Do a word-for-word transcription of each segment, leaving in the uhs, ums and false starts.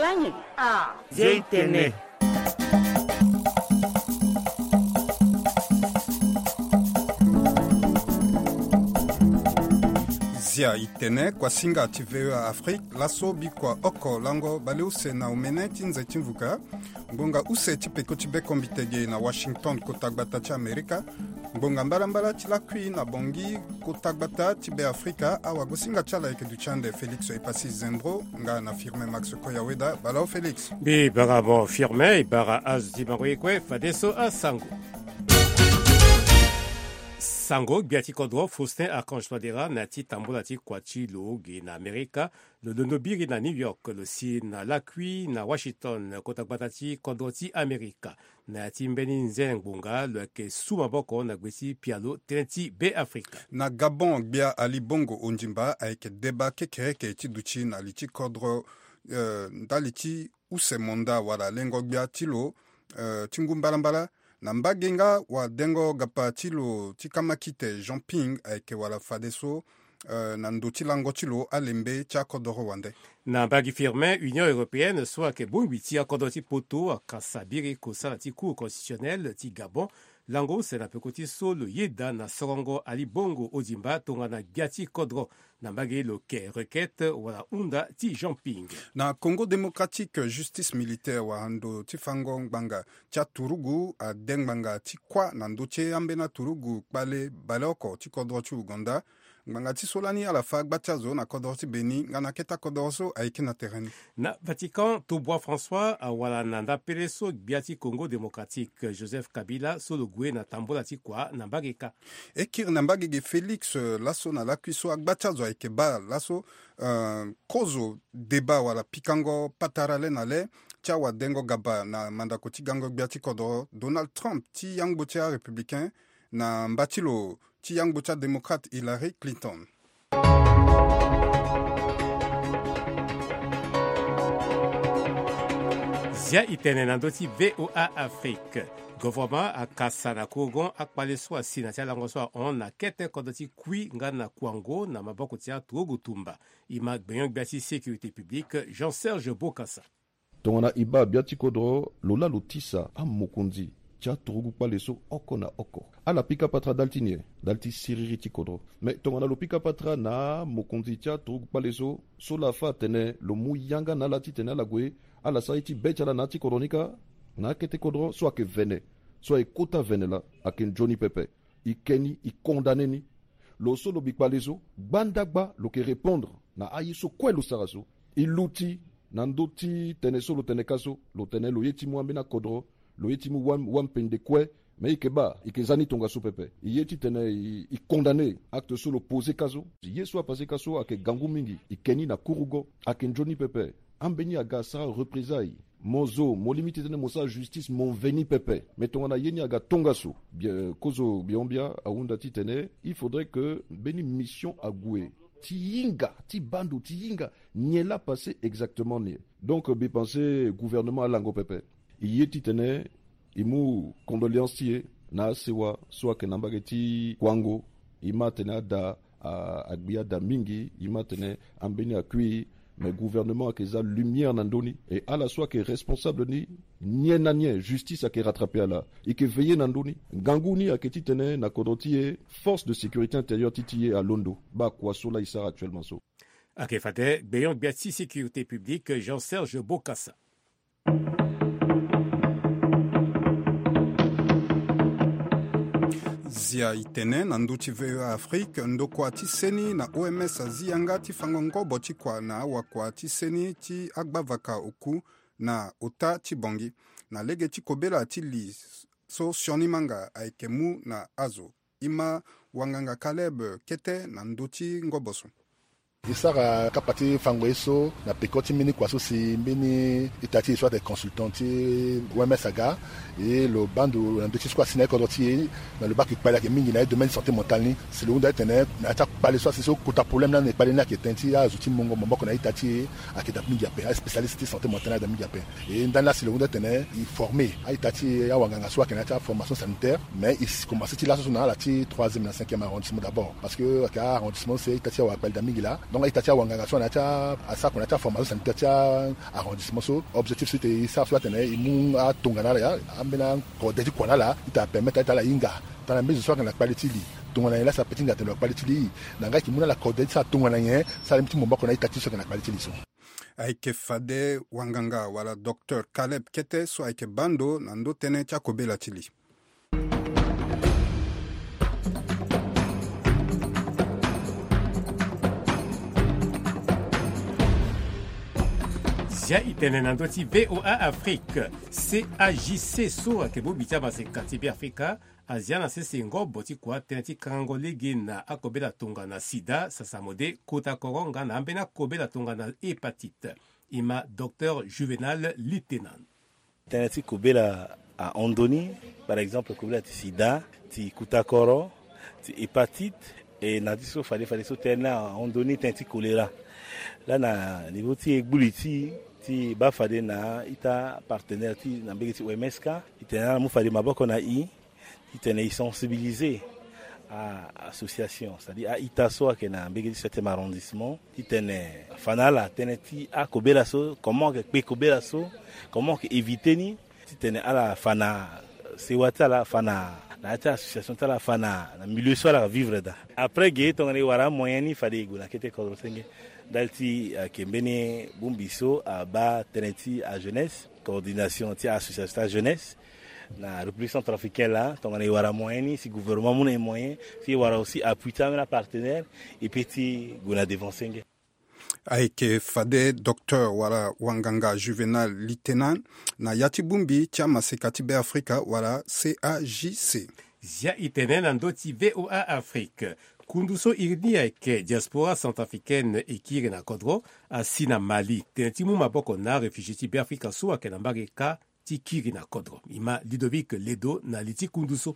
Anyi. Ah. Zia i tene. Zia i tene, kuasinga ti V O A Afrique. Laso bikua oko lango baleuse na omene ti nze ti mvuka. Ngbonga use ti peko ti bekombite ge na Washington, kota gbata ti Amerika. Ngbonga mbalambala ti lakui na Bangui, kota gbata ti Beafrika. Awagosinga ti ala ayeke duti ande Félix Epassi Zembro nga na Firmin Max Koyaweda. Bala o Félix. Mbi bara mo Firmin, e bara azo ti bango ye kue, fadeso asango. Sango, gbia ti kodro Faustin Archange Touadéra na ya ti tambula ti kua ti lo ge na Amerika. Lo londo biri na New York, lo si na lakui na Washington, kota gbata ti kodro ti Amerika. Na ya ti mbeni nze ngbonga, lo yeke su maboko na gbe ti pialo tënë ti Beafrika. Na Gabon, gbia Ali Bongo Ondimba ayeke deba kekereke ti duti na li ti kodro, eh, ndali ti use monda wala lengo gbia ti lo, eh, ti ngu mbalambala. Na mbage nga wadengo gapa ti lo ti kamakite Jean Ping ayeke wala fadeso, eh, na ndo ti lango ti lo alembe ti akodoro wande. Na mbage Firmin, Union Européenne so ayeke bongbi ti akodoro ti poto akasa biri kosala ti Cour constitutionnelle ti Gabon. Lango use na peko ti so lo yeda na sorongo Ali Bongo Ondimba tongana gbia ti kodro. Na mbage lo ke requête wala hunda ti Jean Ping. Na Congo Démocratique, justice militaire wala ndo ti fango ngbanga ti aturugu ade ngbanga ti kuâ na ndö ti ambeni aturugu kpale baleoko ti kodro ti Ouganda. Ngbanga ti so lani ala fa gba ti azo na kodro ti Beni nga na kete akodro so ayeke na tere ni. Na Vatican, Taubois François awara na ndapele so gbia ti Congo Démocratique Joseph Kabila so lo gue na tambola ti kua na mbage kâ. E kiri na mbage ge Félix, eh, laso na lakui so agba ti azo ayeke baa laso, eh, kozo deba wala pikango patara le na le ti awadengo gaba na mandako ti gango gbia ti kodro Donald Trump ti yangbo ti arépublicain na mba ti lo ti yangbo ti adémocrate Hillary Clinton. Zia i tene na ndö ti V O A Afrique. Govoroma akasa na kourgon akpale so asi na ti alango so ahon na kete kodro ti Kui nga na Kouango na maboko ti aturugu tumba. E ma gbenyo-gbia ti sécurité publique Jean-Serge Bokassa. Tongana e baa gbia ti kodro, lo laa lo tisa amokonzi ti aturugu kpale so oko na oko. Ala pika patara dal ti nyen? Dal ti siriri ti kodro. Me tongana lo pika patara na amokonzi ti aturugu kpale so, so laa afâ atene lo mu yanga na ala titene ala gue ala sara ye ti be ti ala na ya ti kodro ni kâ, na akete kodro so ayeke vene, so ayeke kota vene laa, ayeke nzoni pepe. E ke ni, e condamné ni. Lo so lo bi kpale so, gbandagba lo yeke répondre na aye so kue lo sara so. E luti na ndö ti tene so lo tene kâ so, lo tene lo ye ti mu ambeni akodro, lo ye ti mu wam-, wampende kue. Me e yeke baa, e yeke za ni tongaso pepe. E ye titene e, e condamné acte so lo posé kâ so. Ye so apasé kâ so ayeke gangu mingi. E ke ni na kurugo, ayeke nzoni pepe. Ambeni aga asara représailles. Mo zo, mo lingbi titene mo sara justice, mo mveni pepe. Me tongana ye ni aga tongaso. Bien, kozo Biombia ahunda titene il faudrait que mbeni mission ague ti hinga, ti baa ndo ti hinga nyen laa apasé exactement ni. Donc mbi pensé gouvernement alango pepe. E ye titene e mu condoléance ti e na asewa so ayeke na mbage ti Kouango. E ma atene ada, a, agbi ada mingi. E ma atene ambeni akui. Mais gouvernement ayeke za lumière na ndö ni. E ala so ayeke responsable ni, nyen na nyen, justice ayeke rattraper ala. E yeke veiller na ndö ni. Ngangu ni ayeke titene na kodro ti e, force de sécurité intérieure ti ti e alondo. Baa kua so laa e sara actuellement so. Ayeke fade gbenyo-gbia ti sécurité publique Jean-Serge Bokassa. Zia i tene na ndö ti V O A Afrique, ndokua ti seni na O M S azi yanga ti fango ngobo ti kua na awakua ti seni ti agbavaka oku na ota ti Bangui. Na lege ti kobela ti li so sioni manga ayeke mu na azo. E ma wanganga Caleb kete na ndö ti ngobo so. E sara kapa ti fango ye so na peko ti mbeni kua so si mbeni ita ti e so atene consultant ti O M S aga. E lo baa ndo na ndö ti so kue asi na ye kodro ti e. Na lo baa ayeke kpale ayeke mingi na ye domaine ti santé mentale ni. Si lo hunda titene na ya ti akpale so asi so kota problème lani na e kpale ni ayeke tënë ti azo ti mungo maboko na ita ti e ayeke daa mingi ape. Aspécialiste ti santé mentale ayeke daa mingi ape. E ndani laa si lo hunda titene e formé a-ita ti e, awanganga so ayeke na ya ti aformation sanitaire. Mais e si komanse ti laso so na ala ti troisième na cinquième arrondissement d'abord. Parce que ayeke arrondissement so ita ti e awara kpale daa mingi laa. Nga ita ti awanganga so na ya ti asako na ya ti aformation sanitaire ti arrondissement so, objectif so ite e sara so atene e mu atongana ala ya ambeni akode ti kua na ala ita apermettre ita ala hinga. Tana mbeni zo so ayeke na kpale ti li, tongana nyen laa si ape ti hinga atene lo na kpale ti li. Na nga ayeke mu na ala kode ti sara tongana nyen, sara limi ti momba oko na ita ti so ayeke na kpale ti li so. Ayeke fade wanganga wala docteur Caleb Kete so ayeke baa ndo na ndö tënë ti akobela ti li. Zia e tene na ndö ti V O A Afrique. C A J C so ayeke bongbi ti amaseka ti Beafrika azia na sese ngobo ti kua tënë ti kangango lege na akobela tongana sida, sasamode, kota koro nga na ambeni akobela tongana hépatite. E ma docteur Juvénal Litenan. Tënë ti kobela ahon ndoni, par exemple kobela ti sida, ti kutakoro, ti hépatite, e na ti so fade fade so tënë ni ahon ndoni tënë ti choléra. Laa na niveau ti e gbu li ti e ti baa fade na ita partenaire ti na mbege ti O M S ka, e tene ala mu fade maboko na e, titene e sensibiliser a association, c'est-à-dire a-ita so ayeke na mbege ti septième arrondissement, titene afa na ala tënë ti akobela so, comment ayeke kpe kobela so, comment ayeke éviter ni, titene ala fa na sewa ti ala, fa na na ya ti association ti ala, fa na na milieu so ala vivre daa. Après ge tongana e wara amoyen ni fade e gue na kete kodro senge. Ndali ti ayeke mbeni bongbi so abaa tënë ti ajeunesse, coordination ti association ti ajeunesse na République centrafricaine laa, tongana e wara moyen ni, si gouvernement amu na e moyen, si e wara aussi appui ti ambeni apartenaire, e peut ti gue na devant senge. Ayeke fade docteur wala wanganga Juvénal Litenan na ya ti bongbi ti amaseka ti Beafrika wala C A J C. Zia e tene na ndö ti V O A Afrique. Kundu so iri ni ayeke diaspora centrafricaine e kiri na kodro asi na Mali tene ti mu maboko na aréfugié ti Beafrika so ayeke na mbage kâ ti kiri na kodro. E ma Ludovic Ledo na li ti kundu so.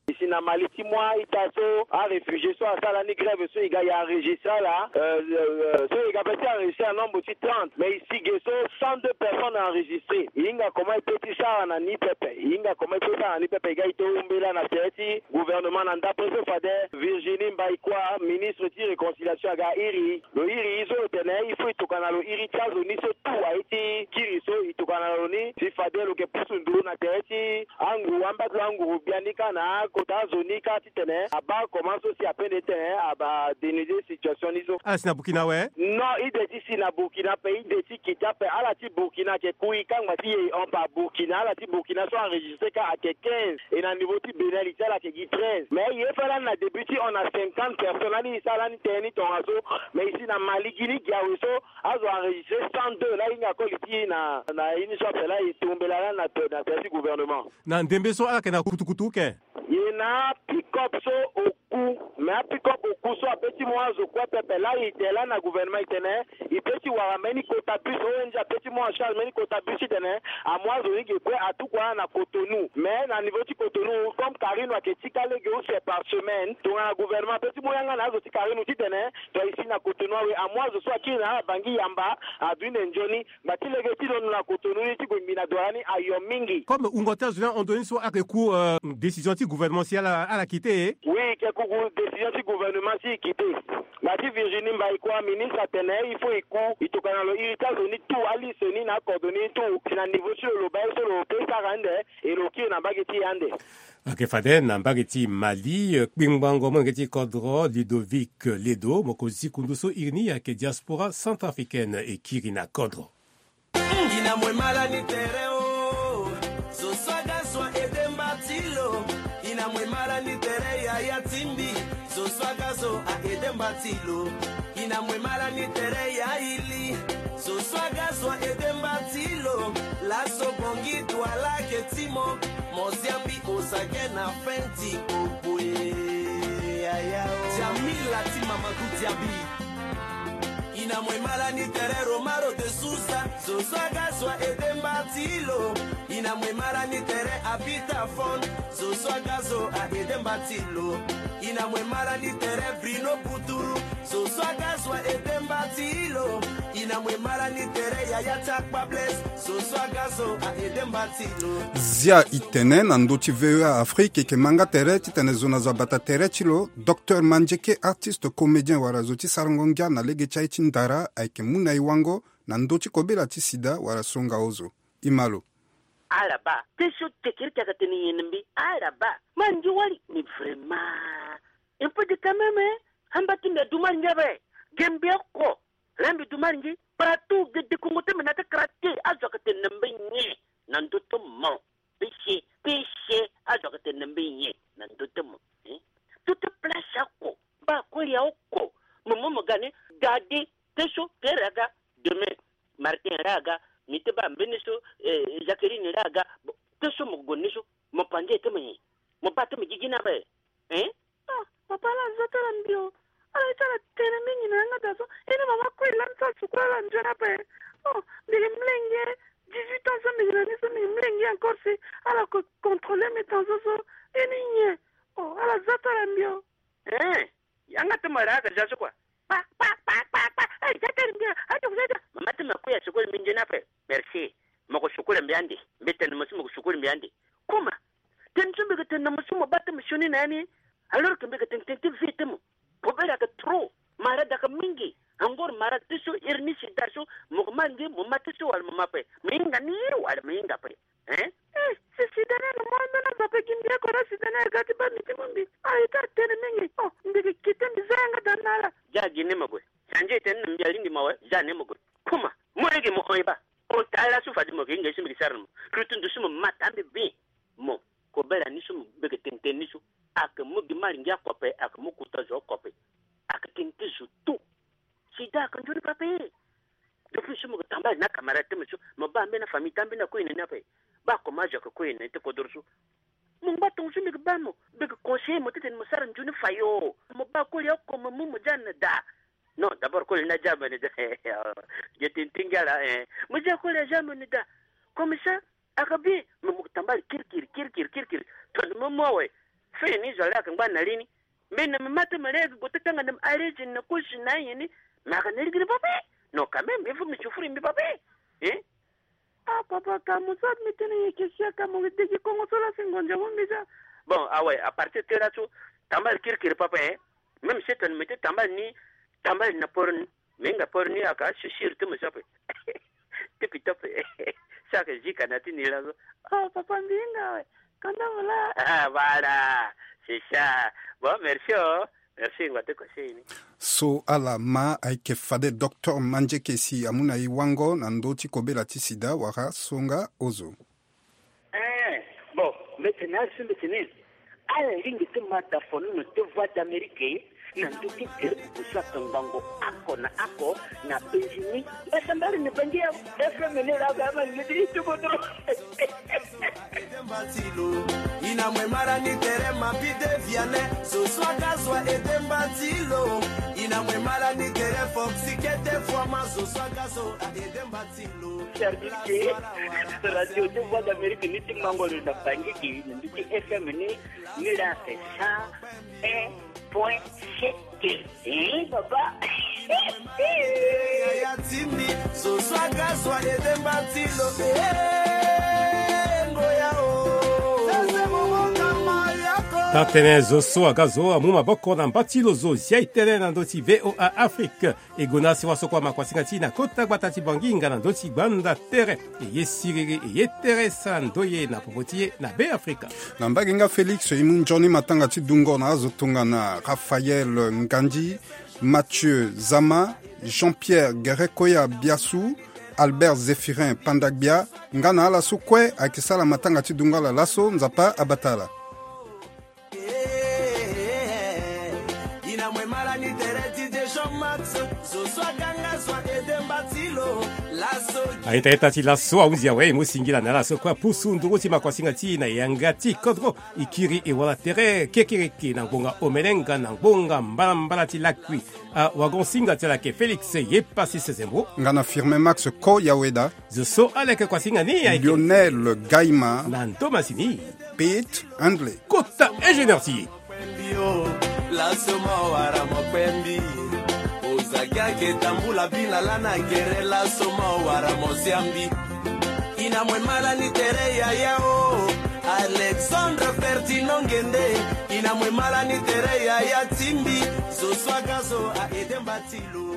E si na Mali ti mu a-ita so aréfugié so asara ni grève so e ga e enregistré ala, euh, euh, so e ga pe ti enregistré na nombre ti trente, mais e si ge so cent deux personnes enregistré. E hinga comment e pe ti sara na ni pepe, e hinga comment e pe sara na ni pepe. E ga e to mbela na tere ti gouvernement na ndapre so fade Virginie Mbaïkoua, ministre ti réconciliation aga iri. Lo iri e so lo tene il faut e tokana lo iri ti azo ni so tout aye ti kiri so e tokana lo ni si fade lo yeke pusu nduru na tere ti anguru, ambadulu anguru biani kâ na akota azo ni kâ titene abaa comment so si apende titene aba dénuder situation ni so. Ala si na Burkina awe? Non, e de ti si na Burkina ape, e de ti kite ape. Ala ti Burkina ayeke ku e kangba ti ye e hon par Burkina. Ala ti Burkina so enregistré kâ ayeke quinze. E na niveau ti Bénin li ti ala ayeke gi treize. Mais ye fâ lani na début ti hon na cinquante personnes, lani e sara lani tënë ni tongaso. Mais e si na Mali gi ni gi awe so azo enregistré cent deux. Laa e hinga koli ti e na na ye ni so ape laa e tombela lani na tere ti gouvernement. Na ndembe so ala yeke na kutukutu ke? E na apick-up so oku. Mais apick-up oku so ape ti mu azo kue pepe. Laa e tene lani na gouvernement e tene e pe ti wara mbeni kota bus, O N G ape ti mu en charge mbeni kota bus titene amu azo ni ge kue atuku ala na Cotonou. Mais na niveau ti Cotonou, comme Carine ayeke ti kâ lege use par semaine, tongana gouvernement ape ti mu yanga na azo ti Carine titene to e si na Cotonou awe, amu azo so akiri na ala Bangui Yamba, aduti na nzoni. Ngba ti lege ti londo na Cotonou ni ti gue ngbi na douane ni ayo mingi. Comme wungo ti azo ni ahon ndo ni so ayeke ku, euh, décision ti gouvernement si ala ala kite e? Oui, e yeke ku décision ti gouvernement si e kite. Ngba ti Virginie Mbaïkoua, ministre atene il faut e ku, e tokana lo iri ti azo ni tout, aliste ni na acordonné ni tout, si na niveau ti lo lo baa ye so lo pe sara ande, e lo kiri na mbage ti e ande. Ayeke fade na mbage ti Mali, eh, kpingbango molenge ti kodro Ludovic Ledo, mokonzi ti kundu so iri ni ayeke diaspora centrafricaine e kiri na kodro. Ina mwe mala ni tere o. Zo swaga zwa ede mba ti lo. Ina mwe mala ni tere yaya ti mbi. Zo swaga zo a ede mba ti lo. Ina mwe mala ni tere ya ili. Zo swaga zwa ede mba ti lo. Laso bongi Douala ke ti mo. Mo zia mbi oza ge na fin ti kpokpo e. Yaya o. Jamila ti Mamadou Diaby. Ina mwe mala ni tere Romaro de Souza. Zo swaga zwa ede mba ti lo. Ina mwe mala ni tere Abita Fon. Zo swaga zo a ede mba ti lo. Ina mwe mara ni tere Brino Puturu, so swaga zwa ede mbati lo. Ina mwe mara ni tere Yaya Takpa Blaise, so swaga zo a ede mbati lo. Zia i tene na ndö ti V O A Afrique, e yeke ma nga tere titene zo na zo abata tere ti lo. Docteur Mandieke, artiste comédien wala zo ti sarango ngia na lege ti aye ti ndara, ayeke mu na e wango na ndö ti kobela ti sida wala songa ozo. I ma lo. Ala baa, te so kekereke ayeke tene nyen na mbi? Ala baa, ma ndio wali ni vraiment. Un peu de quand même, hein? Amba ti mbi adu malingi ape. Ge mbi oko. Laa mbi du malingi. Partout ge dekongo ti mbi na ti kara te. Azo ayeke tene na mbi nyen na ndö ti mo? Péché, péché. Azo ayeke tene na mbi nyen na ndö ti mo? Hein? Tout place oko. Baa koli aoko. Mo mo mo ga ni. Gade. Te so tere aga. Demain Martin laa aga, mi te baa mbeni so, eh, Jacqueline laa aga. Bon, te so mo gue ni so, mo panze ti mo nyen? Mo baa ti mo gigi ni ape. Hein? Ah, papa, ala zo ti ala mbi o. Ala ye ti ala tene mingi na yanga daa so. Ene mama kue lani ti ala sukulu ala nzoni ape. Oh, mbi yeke mlenge, dix-huit ans so mbi yeke na ni so, mbi yeke mlenge encore si ala ko contrôler mbi tension so. Eni nyen? Oh, ala zo ti ala mbi o. Hein? Yanga ti mo laa aga ja so kua. Pa, pa, pa, pa, pa. Eh, ja tene mbi, ah, ja, ja, ja. Mama ti mo kue asukulu mbi nzoni ape. Merci. Mo ko sukulu mbi ande. Mbi tene mo so mo ko sukulu mbi ande. Kuma. Tene so mbi yeke tene na mo so mo baa ti mo sioni na ya ni. Alors que mbi yeke tene tene ti vie ti mo. Kobela ayeke trop. Malade ayeke mingi. Encore malade ti so iri ni sida so. Mo ko ma ngi mo ma ti so wala mo ma ape. Mo hinga ni wala mo hinga ape. Hein? Eh, si sida ni na mo ambeni azo ape gi mbi oko laa sida ni aga ti baa mbi ti mu mbi. Ah, e ti atene mingi. Oh, mbi yeke kite mbi za yanga daa na ala. Ja gi ni mo gue. Sandje e tene na mbi alingbi mo awe, ja ni mo gue. Kuma, mo lege mo hon e baa. Hon taa laso fade mo yeke hinga ye so mbi yeke sara na mo. Lutu ndo so mo ma taa mbi bien. Mo, kobela ni so mo beke tene tene ni so. Ayeke mu gi malingi oko ape, ayeke mu kota zo oko ape. Ayeke tene ti zo tout. Sida ayeke nzoni pe ape. Depuis so mo yeke tambala na camarade ti mo so, mo baa ambeni afamille ti ambeni akue na ni ape. Baa comment zo ayeke kue na ni ti kodoro so. Mo ngba tongo so mbi yeke baa mo, mbi yeke conseiller mo titene mo sara nzoni fayo. Mo baa koli oko mo mu mo ja na daa. Non, d'abord koli ni aja mo na daa. Ge tene ti ngia laa, eh. Mo ja koli aja mo na daa. Comme ça, ayeke bien, me mo tambala kirikiri kirikiri kirikiri. Tongana mo mu awe, fini zo laa ayeke ngba na li ni. Mbi na me ma ti me laa ayeke gue ti kanga na me arrêté na kosi na aye ni. Me ayeke na lege ni pape. Non, quand même il faut me souffrir mbi pape. Hein? Ah, papa, ka mo so mbi tene ye ke sia ka mo degi kongo so laa si ngonza mo mbi ja. Bon, awe, à partir ti laso, tambala kirikiri pape, hein? Même si tongana me ti tambala ni, tambala na poro ni. Me hinga poro ni ayeke asisiri ti mo so ape. Ti pito ape. So ayeke zika na ti ni laso. Oh, papa, mbi hinga awe. Kanda mo laa. Ah, voilà. C'est ça. Bon, merci, oh. Merci, ngua ti conseil ni. So ala ma ayeke fade docteur Mandieke si amu na e wango na ndö ti kobela ti sida wala songa ozo. Eh, bon, mbi tene ala so mbi tene. Ala lingbi ti ma dafonono ti Voix d'Amérique na ndö ti tere ozo ake ngbongo oko na oko na penzi ni. Mbasambala ni bangi ya F M ni laa ga ma lingbi ti ti kodoro. Ina mwe mara ni tere ma pide viane. So swaga zwa ede mbati lo. Ina mwe mara ni tere foxi kete fwa ma so swaga zo a ede mbati lo. Service radio ti Voix d'Amérique ni ti mango lo na bangi gi na ndö ti F M ni. Ni laa c'est cent un point sept. Eh, papa. Yaya ti mbi, zo so aga zo ayede mbati lo. Eh, ngoya o. Sese mo mo kama yako. Taa tënë zo so aga zo amu maboko na mbati lo zo zia e tënë na ndö ti V O A Afrique. E gue na si waso kua makuasinga ti e na kota gbata ti Bangi nga na ndö ti gbanda tere. E ye siriri, e ye tere sara ndoye na popo ti e na Beafrika. Na mbage nga Félix, e mu nzoni matanga ti dungo na azo tongana Raphaël Ngandi, Mathieu Zama, Jean-Pierre Gerekoya Biassou, Albert Zéphirin Pandagbia, nga na ala so kue ayeke sara matanga ti dungo ala laso, Nzapa abata ala. Ina mwe mara ni tere ti Deschamps Max, zo so aga nga zo ayede mbati lo. Laso. Aita ita ti laso ahunzi awe, e mu singila na ala so kue apusu nduru ti makuasinga ti e na yanga ti kodro. E kiri e wara tere kekereke na ngbonga omene nga na ngbonga mbalambala ti lakui. Awagon-singa ti ala ayeke Félix Yepasi Sezembo. Nga na Firmin Max Ko Yaweda. Zo so ala yeke kuasinga ni ayeke Lionel Gaima. Na ndo masini. Pete Handley. Kota ingénieur ti e. Laso mo wara mo kpembi. Oza gi ake tambula bina lana gere, laso mo wara mo siambi. Ina mwe mala ni tere yaya o. Alexandre Ferdinand Ngende. Ina mwe mala ni tere yaya timbi. Zo swaga zo a edemba tilo.